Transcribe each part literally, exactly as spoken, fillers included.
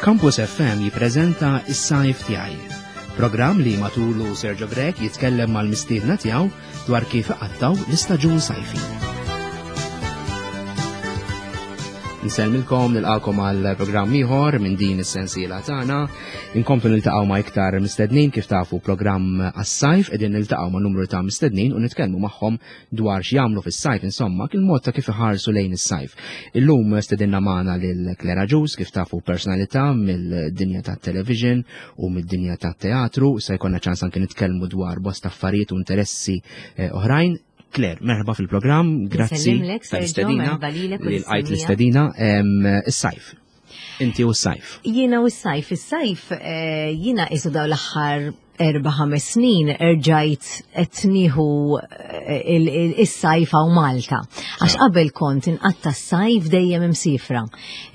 Campus F M jippreżenta Is-Sajf Tiegħi. Programm li matulu Sergio Grech jitkellem mal-mistiedna tiegħu dwar kif iqattaw l-istaġun sajfi. Nsellmilkom, nilqakom għal programm ieħor minn din is-sensiela tagħna. Inkomplu niltaqgħu ma' iktar mistednin. Kif tafu, programm għas-sajf, qegħdin niltaqgħu ma' numru ta' mistednin u nitkellmu magħhom dwar x'jagħmlu fis-sajf, insomma, il-mod ta' kif iħarsu lejn is-sajf. Illum stedinna magħna lil Claire Agius, kif tafu personalità mill-dinja tat-television u mid-dinja tat-teatru, se jkollna ċans anke nitkellmu dwar bosta affarijiet u interessi eh, oħrajn. Claire, merħba fil-programm, grazzi Nsellimlek, Sergio, tal-istedina, merħba lilek u li lqajt lis-semmiegħa. l-istedina, em, is-sajf. Inti u s-sajf. Jiena u s-sajf, is-sajf, eh, jiena isu daw l-aħħar erba' ħames snin erġajt qed nieħu eh, il- il- is-sajf hawn Malta. Għax qabel kont inqatta s-sajf dejjem imsifra.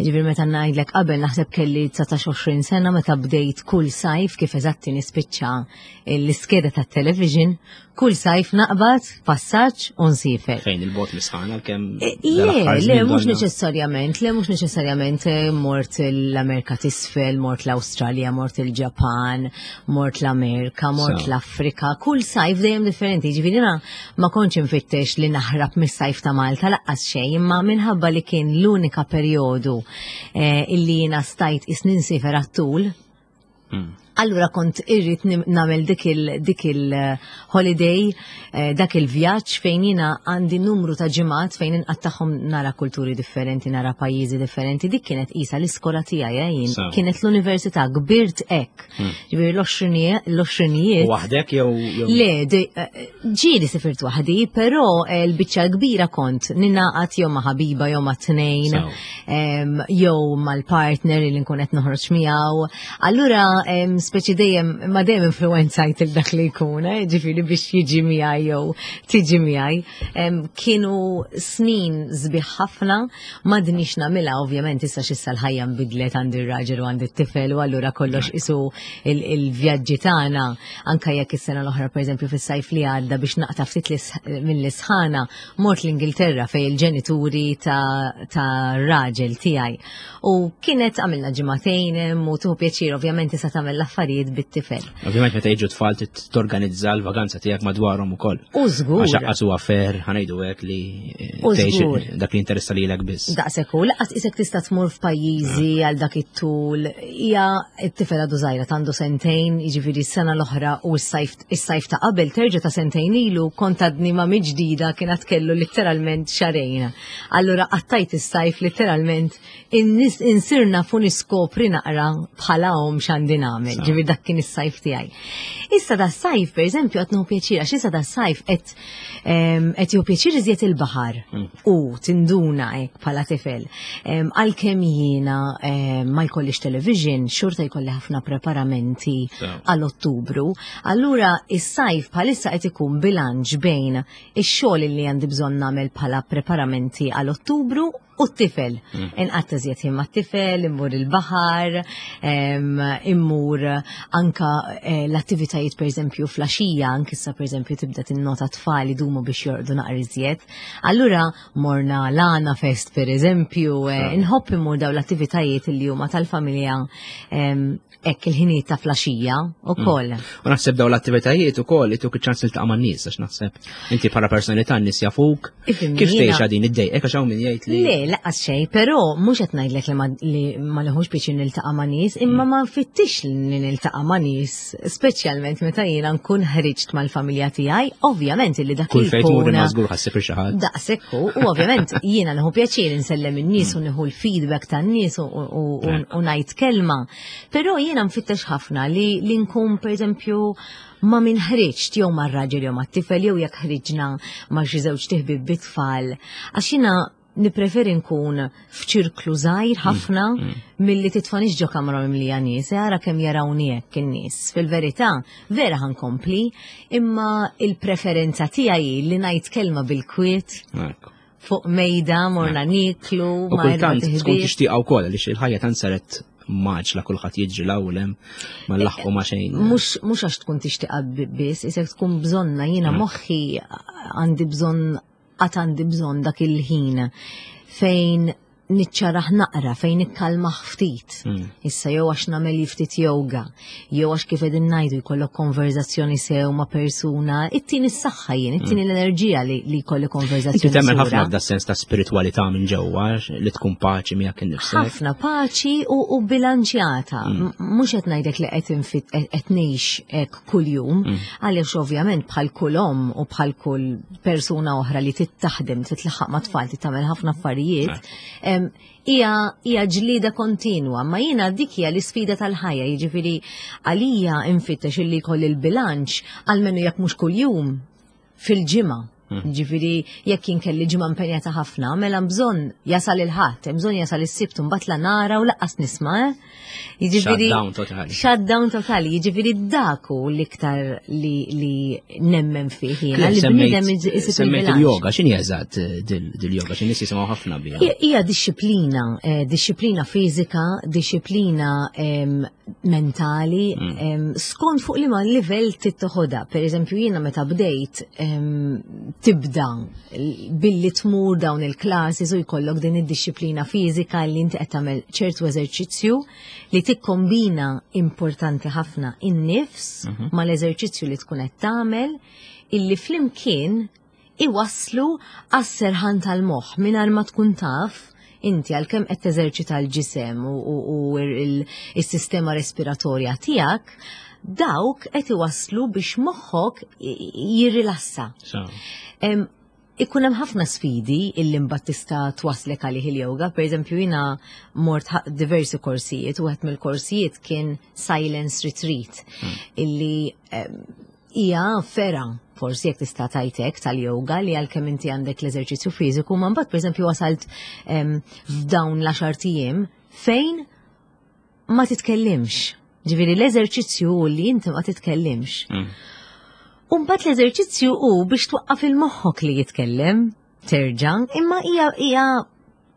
Ġifieri meta ngħidlek qabel, naħseb kelli dsatax għoxrin sena meta bdejt kull sajf, kif eżatti nispiċċa l-iskeda tat-television, kull sajf naqbad passaġġ u nsifer. Fejn il-bot misħana kemm? Eh, Le, le, mhux neċessarjament, le, mhux neċessarjament eh, mort l-Amerika t'isfel, mort l-Awstralja, mort il-Ġapan, mort l-Amerika, mort So. l-Afrika, kull sajf dejjem differenti. Ġifieri jiena ma kontx infittex li naħrab mis-sajf ta' Malta laqqas xejn, imma minħabba li kien l-unika perjodu eh, illi jiena stajt isnin nsifer għat-tul, allura kont irrid nim- nagħmel dik il dik il-holiday, eh, dak il-vjaġġ fejn jiena għandi numru ta' ġimgħat fejn inqattagħhom nara kulturi differenti, nara pajjiżi differenti. Dik kienet isa l-iskola tiegħi, eh, jien. Sew. Kienet l-università, kbirt hekk. Ġifieri l-għoxrinijiet U waħdek jew jew- Le, de- eh, ġieli sifirt waħdi, però eh, l-biċċa kbira kont ninaqat jew ma' ħabiba jew ma' tnejn, Sew. em, jew mal-partner li nkun qed noħroġ miegħu. Allura em, speċi dejjem ma dejjem influenzajt il dak li jkun, eh, ġifieri biex jiġi miegħi jew tiġi miegħi. Em, Kienu snin sbieħ ħafna, m'għadnix nagħmilha ovvjament issa x'issa l-ħajja nbidlet, għandi r-raġel u għandi t-tifel u allura kollox isu il- il-vjaġġi tagħna, anka jekk is-sena l-oħra, pereżempju fis-sajf li għadda, biex naqta' ftit lis- mill-isħana mort l-Ingilterra fej il-ġenituri ta', ta raġel tiegħi. U kienet għamilna ġimagħtejn hemm u tuħu pjaċir, ovvjament issa tagħmel l-affarijiet bit-tifel. Ovvjament meta jiġu tfal trid torganizza l-vaganza tiegħek madwarhom ukoll. U żgur. Għax aqqas huwa fair, ħa ngħidu hekk, li eh, U tgħix żgur. dak li interessa lilek biss. Daqshekk u lanqas isek tista' tmur f'pajjiżi għal dak it-tul. Hija t-tifel għadu żgħira, għandu sentejn, jiġifieri s-sena l-oħra u s-sajf is-sajf ta' qabel terġa' ta' sentejn ilu kont għadni ma' ġdida, kien kellu letteralment xahrejn. Allura qattajt is-sajf letteralment innis- insirna fu niskopri naqra bħala om x'għandi nagħmel. Ġifieri dak kien is-sajf tiegħi. Issa da sajf, per eżempju, qed nieħu pjaċir, għax issa da sajf qed em, qed jieħu pjaċir iżjed il-baħar u tinduna hekk bħala tifel. Em, Għalkemm jiena em, ma jkollix television, xorta jkolli ħafna preparamenti Sew. għal Ottubru. Allura is-sajf bħalissa qed ikun bilanċ bejn ix-xogħol li għandi bżonn nagħmel bħala preparamenti għal Ottubru u t-tifel. Inqatta' żjed ħin mat-tifel, immur il-baħar, em, immur anka eh, l-attivitajiet pereżempju filgħaxija, anke issa pereżempju tibda tinnota tfal idumu biex jorqdu naqra iżjed. Allura morna l-Għana Fest pereżempju, eh, inħobb immur daw l-attivitajiet li huma tal-familja em, hekk il-ħinijiet ta' filgħaxija ukoll. U naħseb daw l-attivitajiet ukoll ituk iċ-ċans tiltaqa' man-nies, għax naħseb inti bħala personalità n-nies jafuk. Ifhimni, Kif jiena- tgħixha din id-dejqek, għax hawn min jgħid li Le, lanqas xejn, però mhux qed ngħidlek li ma li ma neħux biex niltaqa' ma' nies, imma ma nfittix li niltaqa' ma' nies, speċjalment meta jiena nkun ħriġt mal-familja tiegħi, ovvjament illi dak kull li fejn tmur jkun imma żgur ħassib xi ħadd. Daqshekk hu, u ovvjament jiena nieħu pjaċir insellem in-nies u nieħu l-feedback tan-nies u- u u- u ngħid kelma. Però jiena nfittex ħafna li li nkun pereżempju ma' min ħriġt, jew ma' raġel jew ma' tifel, jew jekk ħriġna ma' xi żewġ ħbieb bit-tfal. Għax jiena nipreferi nkun f'ċirklu żgħir ħafna milli titfanix ġo kamra mimlija nies, e ara kemm jarawni hekk in-nies. Fil-verità, vera ħa nkompli, imma il-preferenza tiegħi li ngħid kelma bil-kwiet Ekku. fuq mejda morna niklu, U ma' erba' kultant tkun tiħbieb. tixtieqa wkoll, għaliex il-ħajja tant saret mgħaġġla, kulħadd jiġri l hemm, ma nlaħqu ma xejn. Mhux mhux għax tkun tixtieqa biss, isek tkun bżonna, jiena moħħi għandi bżonn, għad għandi bżonn dak il-ħin fejn Niċċaraħ naqra, fejn nikkalma ftit. Mm. Issa jew għax nagħmel ftit yoga, jew għax kif qegħdin ngħidu jkollok konverzazzjoni sew ma' persuna, ittini s-saħħa jien, ittini l-enerġija li li jkolli Inti konverzazzjoni temmen ħafna sura. f'da sens ta' spiritualità minn ġewwa li tkun paċi miegħek innifsek. Ħafna paċi u, u bilanċjata. Mm. M- Mhux qed ngħidlek li qed infit qed ngħix hekk kuljum, Mm. għaliex ovvjament bħal kull omm u bħal kull persuna oħra li tittaħdem, titlaħħaq ma' tfal, tagħmel ħafna affarijiet. em, Hija hija ġlida kontinwa, ma jiena dik hija l-isfida tal-ħajja, jiġifieri għalija infittex illi jkolli l-bilanċ għalmenu jekk mhux kuljum fil-ġimgħa. Mm. Ġifieri, jekk jien kelli ġimgħa impenjata ħafna, mela bżonn jasal il-Ħadd, hemm bżonn jasal is-Sibt mbagħad la nara u lanqas nisma', eh? Jiġifieri Shutdown totali. Shutdown totali, jiġifieri dak hu l-iktar li, li nemmen fih jiena, li Semmejt bniedem isib semmejt il-bilanċ. il-yoga, x'inhi eżatt eh, dil- dil-yoga, x'in nies jisimgħu ħafna biha. Hija hija dixxiplina, eh, dixxiplina fiżika, dixxiplina em, mentali, Mm. em, skont fuq liema livell tittoħodha. Per eżempju, jiena meta bdejt em, tibda billi tmur dawn il-classes u jkollok din id-dixxiplina fiżika li inti qed tagħmel ċertu eżerċizzju li tikkombina, importanti ħafna, in-nifs Mhm. mal-eżerċizzju li tkun qed tagħmel, illi flimkien iwaslu għas-serħan tal-moħħ mingħajr ma tkun taf inti, għalkemm qed teżerċita l-ġisem u, u, u il- il-sistema respiratorja tiegħek, dawk qed iwaslu biex moħħok i- jirrilassa. So, Em, Ikun hemm ħafna sfidi illi mbagħad tista' twaslek għalih il-yoga. Per eżempju, jiena mort ħa- diversi korsijiet u wieħed mill-korsijiet kien Silence Retreat, illi em, hija fergħa, forsi jekk tista' tajtek, tal-yoga, li għalkemm inti għandek l-eżerċizzju fiżiku, ma mbagħad pereżempju wasalt em, f'dawn l-għaxart ijiem fejn ma titkellimx. Ġifieri l-eżerċizzju hu li inti ma titkellimx. mm. U mbagħad l-eżerċizzju hu biex twaqqaf il-moħħok li jitkellem, terġa', imma hija hija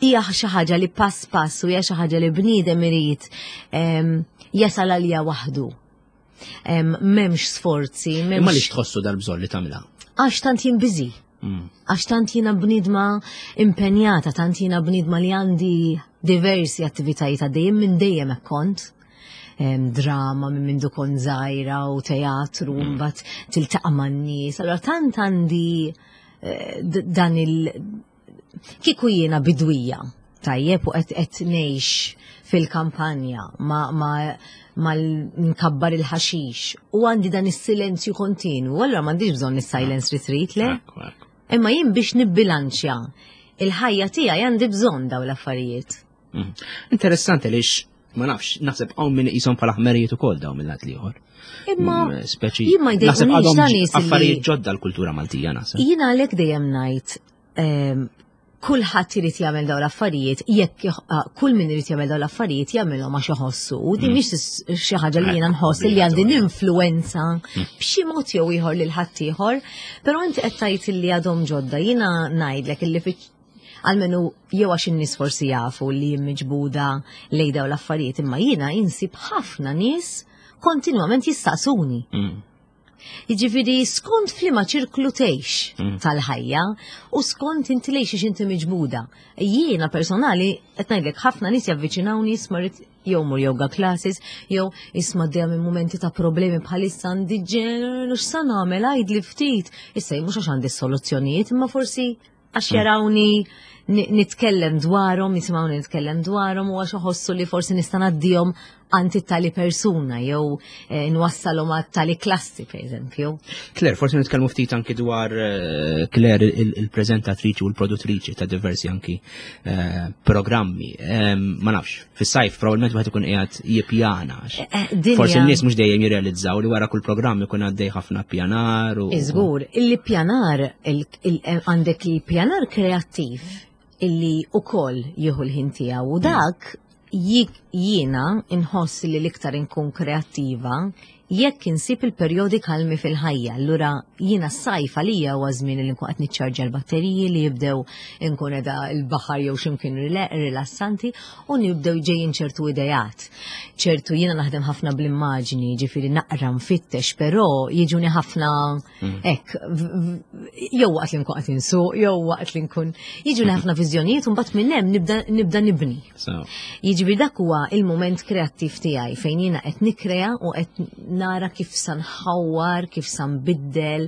hija xi ħaġa li pass pass u hija xi ħaġa li bniedem irid em, jasal għalija waħdu. Em, M'hemmx sforzi, Imma li m'hemmx tħossu dal-bżonn li tagħmilha. Għax tant jien busy. Mm. Għax tant jiena bnidma impenjata, tant jiena bnidma li għandi diversi attivitajiet għaddejjem minn dejjem hekk kont. Em, drama minn mindu kont żgħira u teatru, Mm. mbagħad tiltaqa' man-nies. Allora tant għandi eh, d- dan il kieku jiena bidwija, tajjeb, u qed qed ngħix fil-kampanja ma ma ma nkabbar il-ħaxix u għandi dan is-silenzju kontinu, allora m'għandix bżonn is-silence retreat, le? Ekku, ekku. Imma jien biex nibbilanċja il-ħajja tiegħi għandi bżonn daw l-affarijiet. Mm. Interessanti li ma nafx, naħseb hawn min iqishom bħala ħmerijiet ukoll dawn mill-lat l-ieħor. Imma Mm, Speċi jien ma naħseb jdejqunix għadhom ta' nies li- affarijiet ġodda l-kultura Maltija, naħseb. Jiena għalhekk dejjem ngħid ehm, kulħadd irid jagħmel dawn l-affarijiet, jekk jħ- ah, kull min irid jagħmel dawn l-affarijiet jagħmilhom għax iħossu. U din Mm. mhix xi ħaġa li jiena Ekku, nħoss li għandi obbligatorja. ninfluwenza b'xi mod jew ieħor lil ħaddieħor, però inti qed tgħid li għadhom ġodda, jiena ngħidlek illi fi għalmenu jew għax in-nies forsi jafu li jien miġbuda lejn dawn l-affarijiet, imma jiena insib ħafna nies kontinwament jistaqsuni. Mm. Jiġifieri skont f'liema ċirklu tgħix Mm. tal-ħajja u skont inti lejx inti miġbuda. Jiena personali qed ngħidlek ħafna nies javviċinawni, isma' rrid jew mur yoga classes, jew isma' dejjem minn mumenti ta' problemi bħalissa għandi ġen, x'sa nagħmel, għidli ftit. Issa jien mhux għax għandi soluzzjonijiet, imma forsi għax jarawni ni- nitkellem dwarhom, jisimgħuni nitkellem dwarhom u għax iħossu li forsi nista' ngħaddihom għand tali persuna jew eh, nwassalhom għat tali klassi, per eżempju. Claire, forsi nitkellmu ftit anki dwar eh, Claire il- il-prezentatriċi u l-produttriċi ta' diversi anki eh, programmi. Em, Ma nafx, fis-sajf probabbilment wieħed ikun qiegħed jippjana. għax Eh, dinja- Forsi n-nies mhux dejjem jirrealizzaw li wara kull programm ikun għaddej ħafna pjanar u Iżgur, il-pjanar, il- il- għandek il-pjanar kreattiv illi ukoll jieħu l-ħin tiegħu u dak jik- jiena inħoss li l-iktar inkun kreattiva Jekk insib il-perjodi kalmi fil-ħajja, allura jiena s-sajf għalija huwa żmien li nkun qed niċċarġa l-batteriji, li jibdew nkun qiegħda l-baħar jew x'imkien rilassanti u nibdew ġejjin ċertu idejat. Ċertu jiena naħdem ħafna bl-immaġni, ġifieri naqra, nfittex, però jiġuni ħafna mm. hekk jew waqt li nkun qed insuq, jew waqt li nkun jiġuni ħafna viżjonijiet u mbagħad minn hemm nibda nibda nibni. Jiġifieri dak huwa il-mument kreattiv tiegħi fejn jiena qed nikrea u qed nara kif sa nħawwar, kif sa nbiddel,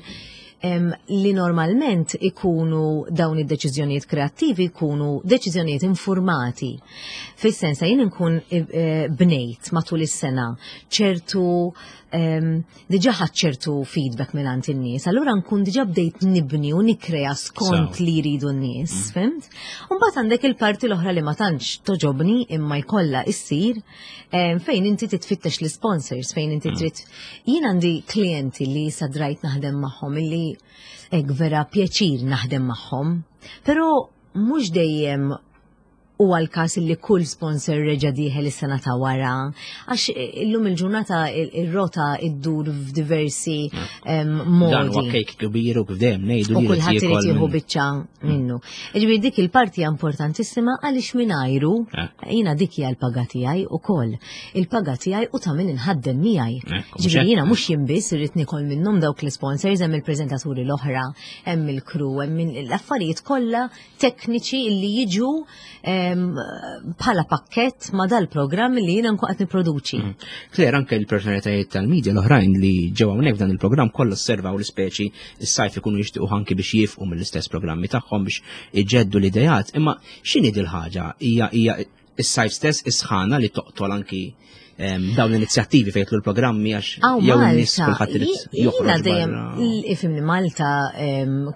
li normalment ikunu dawn id-deċiżjonijiet kreattivi, ikunu deċiżjonijiet informati. Fis-sens jien nkun eh, bnejt matul is-sena ċertu diġà ħadt ċertu feedback minn in-nies, allura nkun diġà bdejt nibni u nikrea skont li jridu n-nies, mm. fhimt? Mbagħad għandek il-parti l-oħra li ma tantx togħġobni imma jkollha issir, fejn inti titfittex l-sponsors, fejn inti mm. trid. Jien għandi klienti li sadrajt naħdem magħhom, illi hekk vera pjaċir naħdem magħhom, però mhux dejjem u għal-kas li kull sponsor reġa dieħel is-sena ta' wara, għax illum il-ġurnata ir-rota iddur f'diversi modi. Dan huwa kejk kbir u kif dejjem ngħidu. U kulħadd irid jieħu biċċa minnu. Ġifieri dik il-parti importantissima għaliex mingħajru jiena dik hija l-paga tiegħi ukoll. Il-paga tiegħi u ta' min inħaddem miegħi. Ġifieri jiena mhux jien biss irrid nikol minnhom dawk l-sponsors, hemm il-preżentaturi l-oħra, hemm il-crew, hemm l-affarijiet kollha tekniċi li jiġu bħala pakket ma dal-programm li jiena nkun qed nipproduċi. Mm. Claire, anke l-personalitajiet tal-medja l-oħrajn li ġew hawnhekk f'dan il-programm kollha osservaw l-ispeċi s-sajf ikunu jixtiequ anki biex jifqu mill-istess programmi tagħhom biex iġeddu l-idejat, imma x'inhi dil-ħaġa? Hija hija is-sajf stess, is-sħana li toqtol anki dawn l-inizjattivi fejn l-programmi, għax jew n-nies kulħadd irid joħroġ? Dejjem ifhimni, Malta,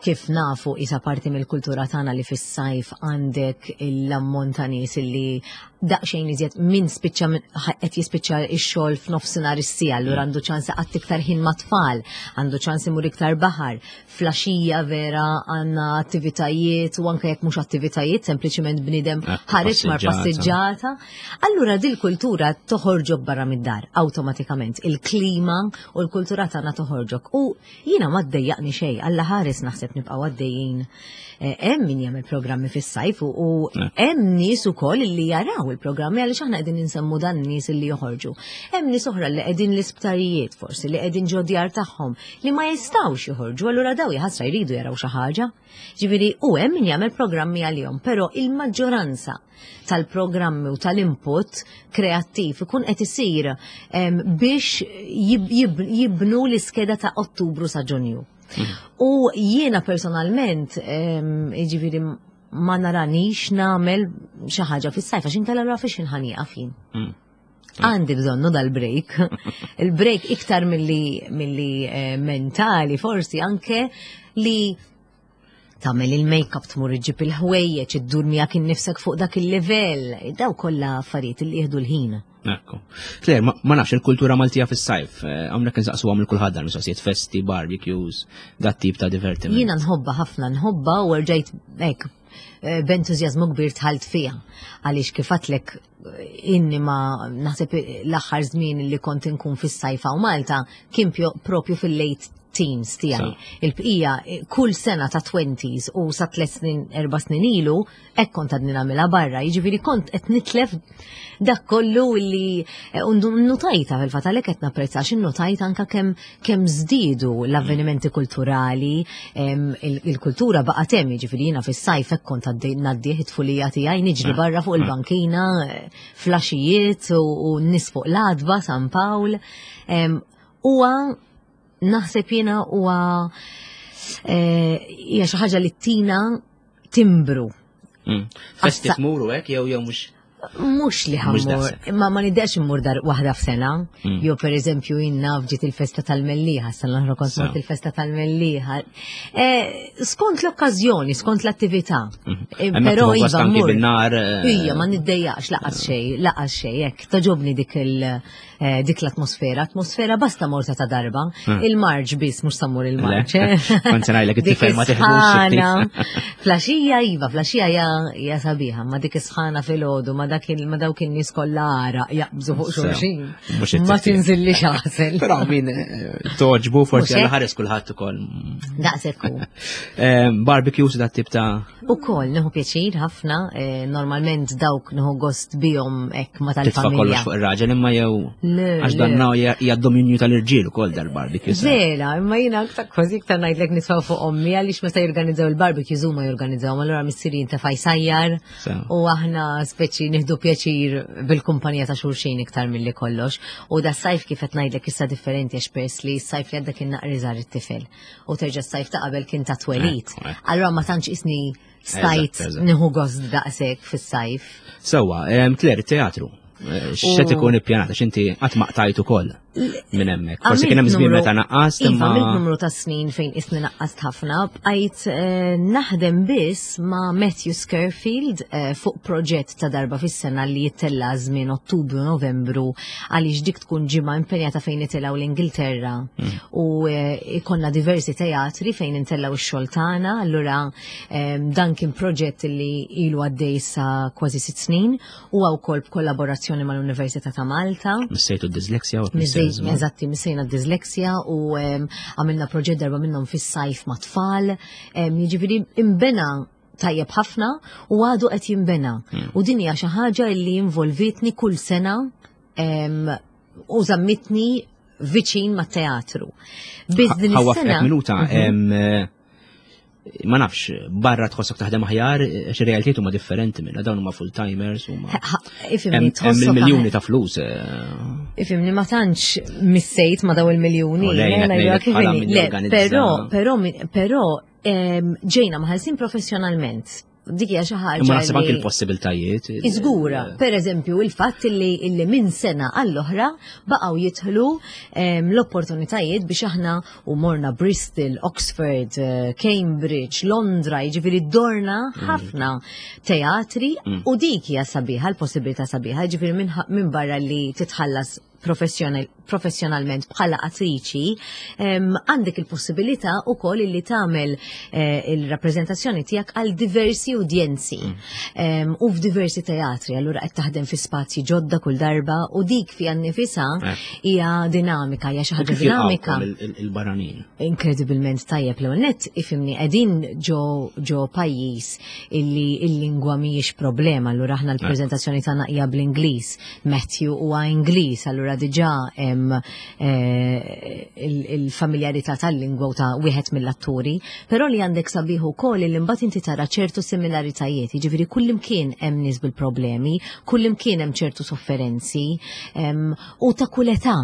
kif nafu, isa parti mill-kultura tagħna li fis-sajf għandek l-ammont ta' nies li daqsxejn iżjed minn spiċċa qed jispiċċa x-xogħol f'nofsinhar is-siegħa, allura għandu ċans qatt iktar ħin mat-tfal, għandu ċans imur iktar baħar. Filgħaxija vera għandna attivitajiet u anke jekk mhux attivitajiet, sempliċiment bniedem ħareġ mar passiġġata. Allura dil-kultura toħorġok barra mid-dar awtomatikament. Il-klima u l-kultura tagħna toħorġok. U jiena ma ddejjaqni xejn, Alla ħares naħseb nibqgħu għaddejjin. Eh, hemm min jagħmel programmi fis-sajf u hemm nies ukoll li jaraw il-programmi, għaliex aħna qegħdin insemmu dan nies li joħorġu. Hemm nies oħra li qegħdin l-isptarijiet forsi, li qegħdin ġo djar tagħhom, li ma jistgħux joħorġu, allura daw jaħasra jridu jaraw xi ħaġa. Ġifieri u hemm min jagħmel programmi għalihom, però il-maġġoranza tal-programmi u tal-input kreattiv ikun qed isir biex jibnu l-iskeda ta' Ottubru sa' Ġunju. U jiena personalment, ġifieri ma naranix nagħmel xi ħaġa fis-sajf għax inkella allura fiex ħa nieqaf jien? Mm. Għandi bżonnu dal-break. Il-break iktar milli milli eh, mentali, forsi anke li tagħmel il-make-up, tmur iġġib il-ħwejjeġ, iddur miegħek innifsek fuq dak il-livell. Daw kollha affarijiet li jieħdu l-ħin. Ekku. Claire, ma ma nafx, il-kultura Maltija fis-sajf, eh, hawnhekk insaqsu għamil kulħadd dan mistoqsijiet, festi, barbecues, dat tip ta' divertiment. Jiena nħobba ħafna, nħobba u rġajt hekk eh, b'entużjażmu kbir dħalt fiha. Għaliex kif għedtlek, inni ma naħseb l-aħħar żmien li kont inkun fis-sajfa u Malta kien pjo- propju fil-late teens tiegħi. Il-bqija eh, kull sena ta' twenties u sa tliet snin, erba' snin ilu, hekk kont għadni nagħmilha barra. Jiġifieri kont qed nitlef dak kollu li eh, undu notajta fil-fatt, għalhekk qed napprezza għax innotajt anka kemm kemm żdiedu l-avvenimenti kulturali, em, il- il-kultura baqgħet hemm, jiġifieri jiena fis-sajf hekk kont għaddej ngħaddih it-tfulija tiegħi niġri barra fuq il-bankina, eh, flaxijiet u u n-nies fuq l-għatba San Pawl. Em, Huwa naħseb jiena huwa eh, hija xi ħaġa li tina timbru. Mm. Festi Assa- tmuru hekk jew jew mhux? Mhux li Mhux ħa mmur, daqshekk. ma ma niddejjaqx immur dar waħda f'sena, Mm. jew per eżempju jien naf ġiet il-festa tal-Mellieħa, sena l-oħra kont So. mort il-festa tal-Mellieħa. Eh, skont l-okkażjoni, skont l-attività. Eh, Hemmhekk Però tieħu gost iva anki mmur. bin-nar, eh, Ija, ma niddejjaqx lanqas xejn, lanqas xejn, hekk togħġobni dik il eh, dik l-atmosfera, atmosfera basta morta ta' darba. Mm. Il-marġ biss mhux sa mmur il-marġ. Le. eh. Kont se ngħidlek, Dik it-tifel ma teħdux is-sħana. Filgħaxija iva, filgħaxija hija hija sabiħa, ma dik is-sħana filgħodu, ma dak il ma dawk in-nies kollha għaraq jaqbżu fuq Sew. xulxin. Mhux Ma it-tip. tinżillix għasel. Però min eh, togħġbu forsi Mhux hekk? għal ħares kulħadd ukoll. Daqshekk hu. Eh, Barbecues dat tip ta' Ukoll nieħu pjaċir ħafna, eh, normalment dawk nieħu gost bihom hekk ma titfa' kollox tal-familja. fuq ir-raġel imma jew Le, għax le. dan hija dominju tal-irġiel ukoll dal-barbecues. Vera, imma jiena aktar kważi iktar ngħidlek nitfgħu fuq ommi għaliex meta jorganizzaw il-barbecues huma jorganizzaw, allura missieri jintefa' jsajjar Sew. u aħna speċi nieħdu pjaċir bil-kumpanija ta' xulxin iktar milli kollox. U da sajf kif qed ngħidlek issa differenti għax peress li s-sajf li għadda kien naqra żgħar it-tifel u terġa' s-sajf ta' qabel kien ta' twelid. Ekku, ekku. Allura ma tantx isni stajt Eżatt, eżatt. nieħu gost daqshekk fis-sajf. Sewwa, em, Claire, teatru. Eh, X'qed U- ikun ippjanat għax inti qatt ma qtajt ukoll minn hemmhekk. Forsi Għamilt kien hemm żmien numru- meta naqqast Iva, imma għamilt numru ta' snin fejn isni naqqast ħafna, bqajt eh, naħdem biss ma' Matthew Scurfield eh, fuq proġett ta' darba fis-sena li jittella żmien Ottubru Novembru għaliex dik tkun ġimgħa impenjata fejn itilgħu l-Ingilterra Mm. u eh, ikonna diversi teatri fejn intellaw ix-xogħol tagħna, allura eh, dan kien proġett li ilu għaddej sa kważi sitt snin u wkoll b'kollaborazzjoni mal-Università ta' Malta. missejtu d-disleksja u Missej, eżatti, missejna d-disleksja u em, għamilna proġett darba minnhom fis-sajf ma' tfal. Em, Jiġifieri imbena tajjeb ħafna u għadu qed jimbena. U din hija xi ħaġa li involvitni kull sena em, u żammitni viċin mat-teatru. Biss din Ħa nwaqqfek is-sena. minuta, em, eh, ma nafx, barra tħossok taħdem aħjar, għax ir-realtiet huma differenti minna, dawn huma full-timers huma. Ha- Ifhimni, Hemm hemm tħossok il-miljuni ta' flus. eh, Ifhimni, ma tantx missejt ma daw il-miljuni. U lejn, eh, qed ngħidulek ngħidlek bħala kif min inhi. Le, jorganizza. Però, però, min- però, em, ġejna mħallsin professjonalment. Dik hija xi ħaġa. Imma naħseb anke li- il-possibiltajiet. il- Iżgura, per eżempju, il-fatt li, illi minn sena għall-oħra baqgħu jidħlu em, l-opportunitajiet biex aħna u morna Bristol, Oxford, eh, Cambridge, Londra, jiġifieri dorna ħafna teatri u dik hija sabiħa, l-possibilità sabiħa, jiġifieri minn min barra li titħallas professjonal, professjonalment bħala attriċi, em, għandek il-possibilità ukoll li tagħmel eh, il-rappreżentazzjoni tiegħek għal diversi udjenzi em, u f'diversi teatri, allura qed taħdem fi spazji ġodda kull darba u dik fiha nnifisha Eh. hija dinamika, hija xi U ħaġa kif dinamika. jilqgħukom il- il- il-barranin? Inkredibilment tajjeb. L net ifhimni qegħdin ġo ġo pajjiż illi il-lingwa mhijiex problema, allura aħna l-preżentazzjoni tagħna hija bl-Ingliż. Matthew huwa Ingliż, allura diġà hemm eh, il- il-familjarità tal-lingwa u ta' wieħed mill-atturi, però li għandek sabiħ ukoll li mbagħad inti tara ċertu similaritajiet, jiġifieri kullimkien hemm nies bil-problemi, kullimkien hemm ċertu sofferenzi, em, u ta' kull età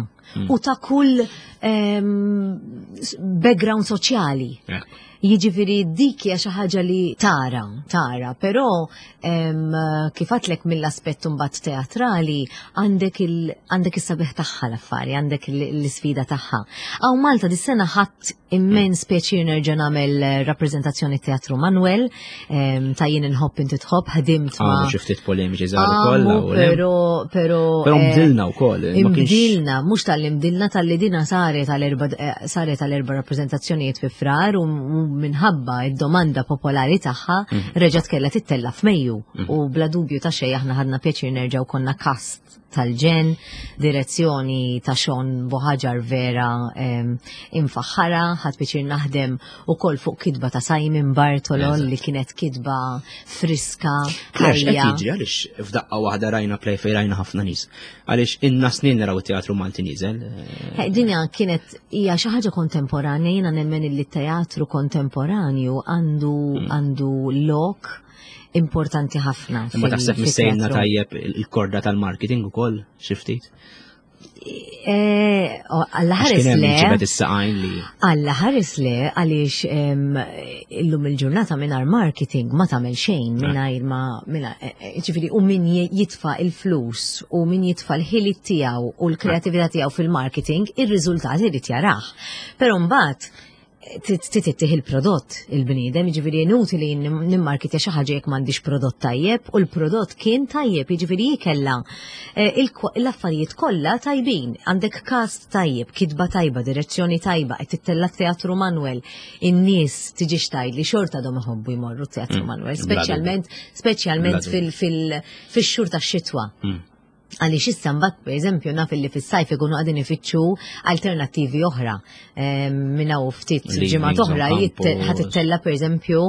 u ta' kull em, s- background soċjali. Ekku. Jiġifieri dik hija xi ħaġa li tara, tara, però em, kif għedtlek mill-aspett mbagħad teatrali għandek il għandek is-sabiħ tagħha l-affari, għandek l- l-isfida tagħha. Hawn Malta dis-sena ħadt immens pjaċir nerġa' nagħmel eh, rappreżentazzjoni Teatru Manuel, em, ta' Jien Inħobb Inti Tħobb, ħdimt ma' Għamu xi ftit polemiċi żgħar ukoll. Għamu, u le. pero, pero. Però eh, mbdilna wkoll. ma kienx- Imbdilna, mhux tal imbdilna tal-li dina saret tal-erba eh, saret tal-erba rappreżentazzjonijiet fi Frar u u minħabba id-domanda popolari tagħha Mhm. reġgħet kellha tittella f'Mejju u bla dubju ta' xejn aħna ħadna pjaċir nerġgħu konna cast tal-ġenn, direzzjoni ta' Sean Buhagiar vera em, imfaħħara, ħadt pjaċir naħdem ukoll fuq kitba ta' Simon Bartolo Eżatt. li kienet kitba friska, Claire, x'qed ħajja. jiġri għaliex f'daqqa waħda rajna play fejn rajna ħafna nies. Għaliex inna snin naraw it-teatru Malti nieżel. eh, Eh, Dinja kienet hija xi ħaġa kontemporanja, jiena nemmen li t-teatru kontemporanju għandu għandu lok importanti ħafna. Imma fil- taħseb missejna fit-teatru. tajjeb il-korda tal-marketing ukoll xi ftit. Eh, oh, Alla Għax ħares kien hemm le. ġibed is-saqajn li Alla ħares le, għaliex em, illum il-ġurnata mingħajr marketing ma tagħmel xejn mingħajr ma mingħajr eh, eh, ġifieri u min je- jitfa' il-flus u min jitfa' l-ħiliet tiegħu u l-kreatività tiegħu fil-marketing, ir-riżultati irid jarah. Però mbagħad Titih il-prodott il-bniedem, jiġifieri inutili nimmarkitja xi ħaġa jekk m'għandix prodott tajjeb, u l-prodott kien tajjeb, jiġifieri kella eh, l-affarijiet kollha tajbin. Għandek cast tajjeb, kitba tajba, direzzjoni tajba, qed tittella Teatru Manuel, in-nies tiġi xtajt li xorta għadhom iħobbu jmorru Teatru mm, Manuel, speċjalment speċjalment fil-xhur tax-xitwa. Mm. Għaliex issa mbagħad, pereżempju, naf li fis-sajf ikunu qegħdin ifittxu alternattivi oħra. Minn hawn ftit ġimgħat oħra ħa tittella, pereżempju,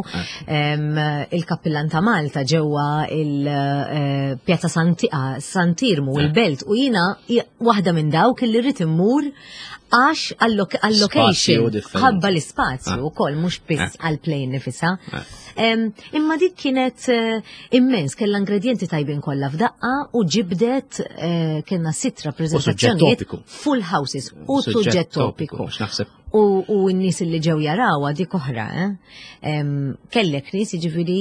eh. il-Kappillan ta' Malta ġewwa il-Pjazza eh, Sant'Iermu, eh. il-Belt, u jiena waħda minn dawk li rrid immur għax għal-location, ħabba l-ispazju ukoll, mhux biss għal-play nifisha. Imma dik kienet immens, kellha ingredienti tajbin kollha f'daqqa u ġibdet, kellna sitt rappreżentazzjonijiet, full houses u suġġett topiku. U n-nies li ġew jarawha dik oħra, eh? Kellek nies, jiġifieri,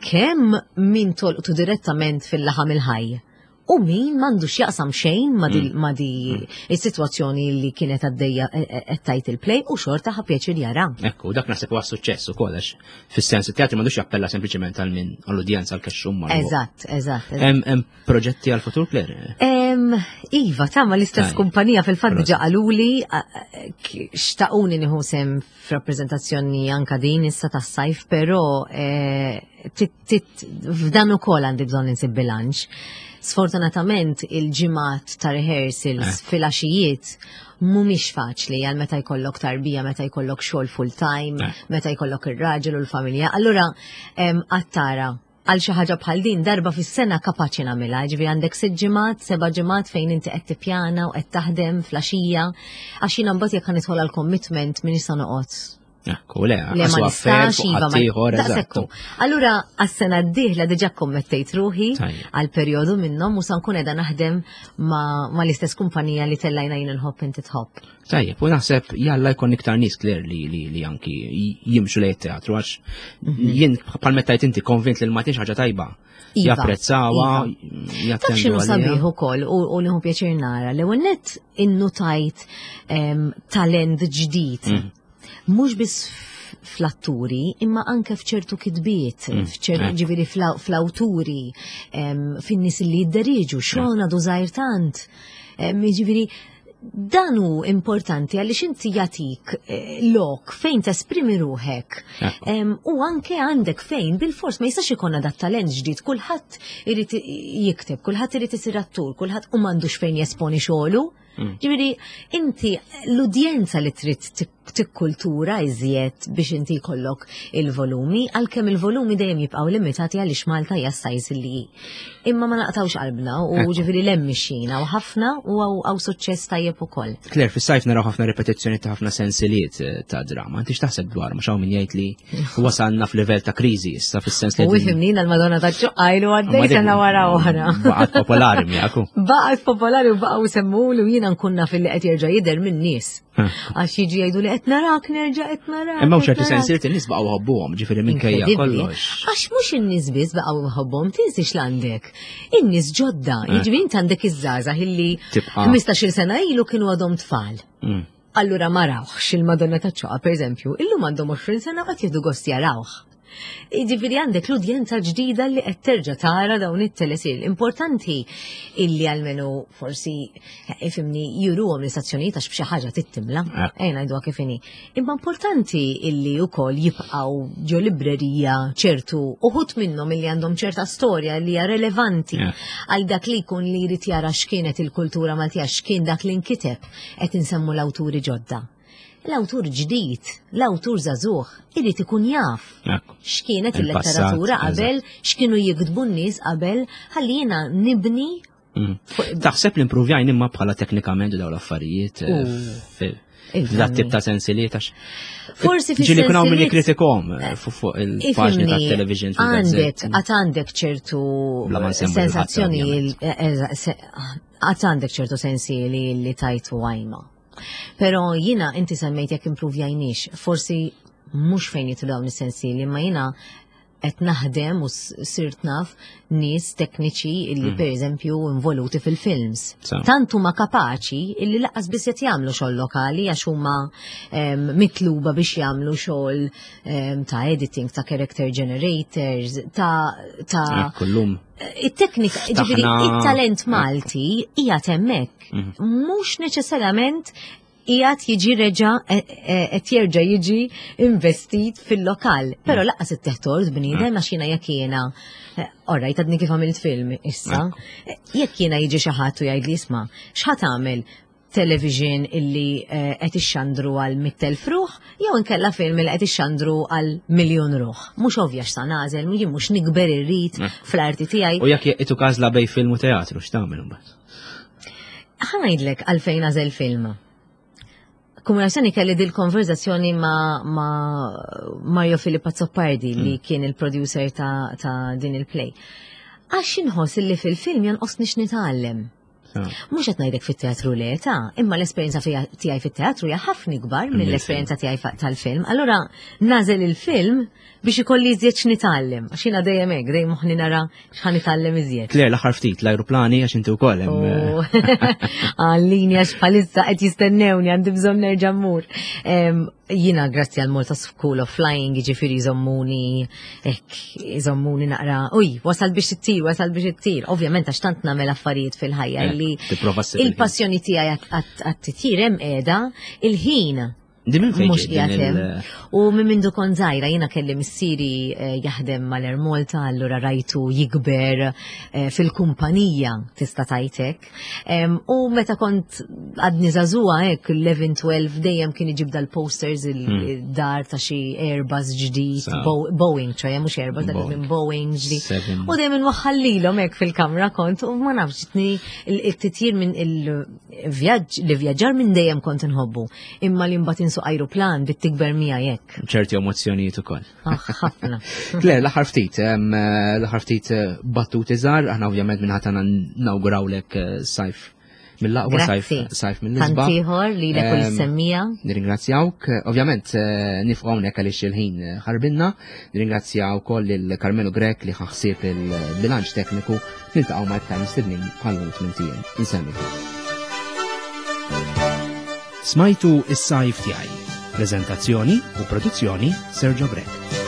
kemm min tolqtu direttament fil-laħam il-ħaj u min m'għandux jaqsam xejn ma di mm. di mm. is-sitwazzjoni li kienet għaddejja e, e, qed tajt il-play u xorta ħa pjaċir jara. Ekku, dak naħseb huwa suċċess ukoll għax fis-sens it-teatru m'għandux jappella sempliċement għal min għall-udjenza għall-kexxum. Eżatt, eżatt. Hemm proġetti għal futur, Claire? Iva, ta' ma l-istess kumpanija fil-fatt diġà qaluli xtaquni nieħu sehem f'rappreżentazzjoni anka din issa tas-sajf, però eh, f'dan ukoll għandi bżonn insib bilanċ. Sfortunatament il-ġimgħat ta' rehearsals eh. fil-għaxijiet mhumiex faċli għal meta jkollok tarbija, meta jkollok xogħol full time, eh. meta jkollok ir-raġel u l-familja. Allura għattara għal xi ħaġa bħal din darba fis-sena kapaċi nagħmilha, ġifieri għandek sitt ġimgħat, seba' ġimgħat fejn inti qed tippjana u qed taħdem flaxija, għax jiena mbagħad jekk nidħol għal commitment min nista' noqgħod. Ekku, le, Le ma għax affair nistax, fuq iva, ma ħaddieħor, daqshekk hu. eżattu. Allura, għas-sena d-dieħla diġà kommettejt ruħi Tajjeb. għal perjodu minnhom u sa nkun qiegħda naħdem ma, ma l-istess kumpanija li tellajna Jien Inħobb Inti Tħobb. Tajjeb, u naħseb jalla jkun iktar nies, Claire, li, li, li anki jimxu lejn it-teatru għax jien bħal meta inti konvint li l-Maltin ħaġa tajba. Iva, Japprezzawha, iva. Taf jattendu x'inhu għaliha. sabiħ ukoll u, u nieħu pjaċir nara l net innutajt em, talent ġdid. Mm. Mhux biss f- fl-atturi, imma anke f'ċertu kitbiet, Mm, f'ċertu eh. ġifieri fl- fl-awturi, em, fin-nies li jidderiġu, xogħol għadu żgħir tant. Em, Ġifieri, dan hu importanti għaliex inti jagħtik eh, lok fejn tesprimi ruħek. Ekku. Em, u anke għandek fejn bil-fors ma jistax ikonna dat talent ġdid, kulħadd irid jikteb, kulħadd irid isir attur, kulħadd u m'għandux fejn jesponi xogħlu. Mm. Ġifieri, inti l-udjenza li trid tik- tikkultura iżjed biex inti jkollok il-volumi, għalkemm il-volumi dejjem jibqgħu limitati għaliex Malta hija size li hi. Imma ma naqtawx qalbna u Ekku. ġifieri l-hemm u ħafna u għaw għaw suċċess tajjeb ukoll. Claire, fis-sajf naraw ħafna ripetizzjoni ta' ħafna sensiliet eh, ta' drama. Inti x'taħseb dwar? Mhux hawn min jgħid li wasalna f'livell ta' kriżi issa fis-sens li U ifhimni l-Madonna ta' ċuqqajlu għaddej sena wara oħra. Baqgħet popolari miegħek. Baqgħet popolari u baqgħu semmulu, jiena nkun naf li qed jerġa' jidher minn nies. Għax jiġi jgħidu li qed narak nerġa' qed narak. Imma qed ċerti narak. sensiliet in-nies baqgħu ħobbuhom, ġifieri minkejja Inkredibbli. kollox. Għax mhux in-nies biss baqgħu jħobbhom, tinsiex l-għandek. In-nies ġodda, Eh. jiġifieri inti għandek iż-żgħażagħ illi Tibqa' ħmistax-il sena ilu kienu għadhom tfal. Mm. Allura ma rawx il-Madonna ta' ċoqa, per eżempju, illum għandhom għoxrin sena qed jieħdu gost jarawh. Jiġifieri għandek l-udjenza ġdida li qed terġa' tara dawn it-teleserji. Importanti illi almenu forsi, ifhimni, juruhom l-istazzjonijiet għax b'xi ħaġa tittimla. Ekku. Ejja ngħiduha kif inhi. Imma importanti illi wkoll jibqgħu ġo librerija ċertu uħud minnhom illi għandhom ċerta storja li hija relevanti Yeah. għal dak li jkun li jrid jara x'kienet il-kultura Maltija, x'kien dak li nkiteb, qed insemmu l-awturi ġodda. L-awtur ġdid, l-awtur żagħżugħ, irid ikun jaf Ekku. x'kienet Il-passat, il-letteratura qabel, x'kienu jiktbu n-nies qabel, ħalli jiena nibni Mm. fuq- Taħseb li improvjajn imma bħala teknikament dawn l-affarijiet eh, U. fi- Ifhimni. f'dat tip ta' sensiliet għax Forsi fis ġieli kun hawn min sensiliet- jikkritikom eh, fuq fuq il-paġni Ifhimni, tat-television għandek, fil-gazzetti. għat għandek ċertu Bla ma nsemmu lil ħadd, sensazzjoni, ovvjament. għat għandek ċertu sensi li, li tajtu għajma. Pero jina, inti semmejt jekk improvjajniex, forsi mhux fejn jitlu dawn is-sensi li ma jina Qed naħdem u sirt naf nies tekniċi illi mm. per eżempju involuti fil-films. Tant huma kapaċi illi lanqas biss qed jagħmlu xogħol lokali għax huma mitluba biex jagħmlu xogħol ta' editing, ta' character generators, ta' ta' kullum. It-teknika, ġifieri it-talent Malti hija hemmhekk. Mhm. Mhux neċessarjament qiegħed jiġi reġa e, e, qed jerġa' jiġi investit fil-lokal. Però mm. lanqas it-teħtort bniedem għax jiena jekk jiena e, Alright, għadni kif għamilt film issa. Jekk jiena jiġi xi ħadd u jgħid li isma' x'ħa tagħmel television illi qed ixxandru għal mitt elf ruħ jew inkella film illi qed ixxandru għal miljun ruħ. Mhux ovvja x'sa nagħżel, jien mhux nikber irrid fl-arti tiegħi. U jekk itu każla bejn film u teatru x'tagħmel imbagħad? Ħa ngħidlek għalfejn għażel film. Komunikazzjoni kelli dil-konverzazzjoni ma, ma Mario Filippo Azzopardi li mm. kien il-producer ta', ta din il-play. Għax inħoss li fil-film jonqosni x'nitgħallem. Mhux qed ngħidlek fit-teatru le ta' imma l-esperjenza tiegħi fit-teatru hija ħafna ikbar mill-esperjenza tiegħi tal-film. Allura nagħżel il-film biex ikolli iżjed x'nitgħallem. Għax jiena dejjem hekk, dejjem moħħni nara x'ħa nitgħallem iżjed. Claire, l-aħħar ftit l-ajruplani għax inti wkoll hemm. Eh, Għallini għax bħalissa qed jistennewni għandi bżonn nerġa' mmur. Jiena grazzi għal Malta School of Flying, jiġifieri jżommuni hekk, jżommuni naqra, uj, wasal biex ittir, wasal biex ittir. Ovvjament għax tant nagħmel affarijiet fil-ħajja eh, li il-passjoni tiegħi għat-titjir hemm qiegħda, il-ħin Di minn fejn Mhux qiegħed hemm. U minn mindu kont żgħira jiena kelli missieri eh, jaħdem mal-Air Malta, allura rajtu jikber eh, fil-kumpanija tista' tajtek. U meta kont għadni żagħżugħa hekk eleven twelve dejjem kien iġib dal-posters il-dar ta' xi Airbus ġdid, Boeing, ċoè mhux Airbus, dak minn Boeing ġdid. U dejjem inwaħħallilhom hekk fil-kamra kont u ma nafx ġitni il-titjir minn il-vjaġġ li vjaġġar minn dejjem kont inħobbu. Imma li mbagħad insuq ajruplan bit tikber miegħi hekk. ċerti emozzjonijiet ukoll. Ah, ħafna. Claire, l-aħħar ftit, l-aħħar ftit eh, battuti żgħar, aħna ovvjament minn ħatana nawgurawlek eh, sajf mill-aqwa sajf sajf mill-isbaħ. Tantiħor li l kull semmija. Nirringrazzjawk. Ovvjament eh, nifqgħu hawnhekk għaliex il-ħin ħarbinna. Nirringrazzjaw ukoll lil Carmelo Grech li ħaħsieb il-bilanċ tekniku. Niltaqgħu ma' iktar mistednin bħal tmien ijiem. Insellmilkom. Smajtu Is-Sajf Tiegħi. Prezentazzjoni u produzzjoni Sergio Grech.